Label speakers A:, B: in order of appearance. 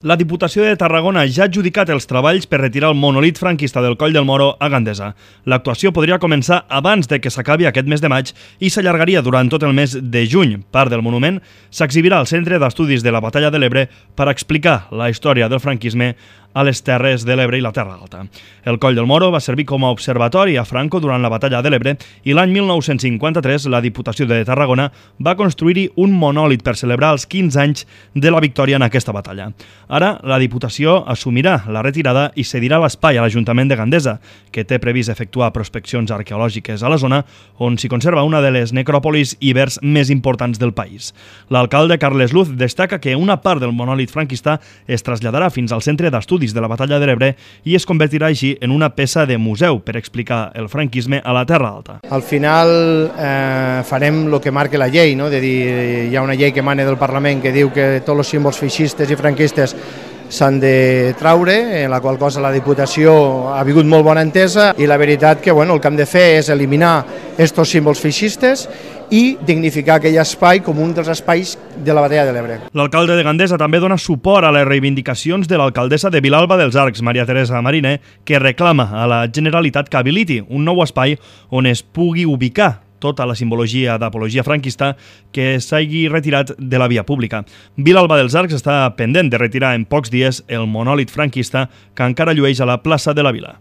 A: La Diputació de Tarragona ja ha adjudicat els treballs per retirar el monolit franquista del Coll del Moro a Gandesa. L'actuació podria començar abans de que s'acabi aquest mes de maig i s'allargaria durant tot el mes de juny. Part del monument s'exhibirà al Centre d'Estudis de la Batalla de l'Ebre per explicar la història del franquisme a les Terres de l'Ebre i la Terra Alta. El Coll del Moro va servir com a observatori a Franco durant la Batalla de l'Ebre i l'any 1953 la Diputació de Tarragona va construir-hi un monòlit per celebrar els 15 anys de la victòria en aquesta batalla. Ara, la Diputació assumirà la retirada i cedirà l'espai a l'Ajuntament de Gandesa, que té previst efectuar prospeccions arqueològiques a la zona, on s'hi conserva una de les necròpolis ibers més importants del país. L'alcalde Carles Luz destaca que una part del monòlit franquista es traslladarà fins al Centre d'Estudis de la Batalla de l'Ebre i es convertirà així en una peça de museu per explicar el franquisme a la Terra Alta.
B: Al final farem el que marca la llei, no? De dir, hi ha una llei que emana del Parlament que diu que tots els símbols feixistes i franquistes s'han de traure, en la qual cosa la Diputació ha vingut molt bona entesa i la veritat que el que hem de fer és eliminar aquests símbols feixistes i dignificar aquell espai com un dels espais de la Batalla de l'Ebre.
A: L'alcalde de Gandesa també dona suport a les reivindicacions de l'alcaldessa de Vilalba dels Arcs, Maria Teresa Mariner, que reclama a la Generalitat que habiliti un nou espai on es pugui ubicar tota la simbologia d'apologia franquista que s'hagi retirat de la via pública. Vilalba dels Arcs està pendent de retirar en pocs dies el monòlit franquista que encara llueix a la plaça de la Vila.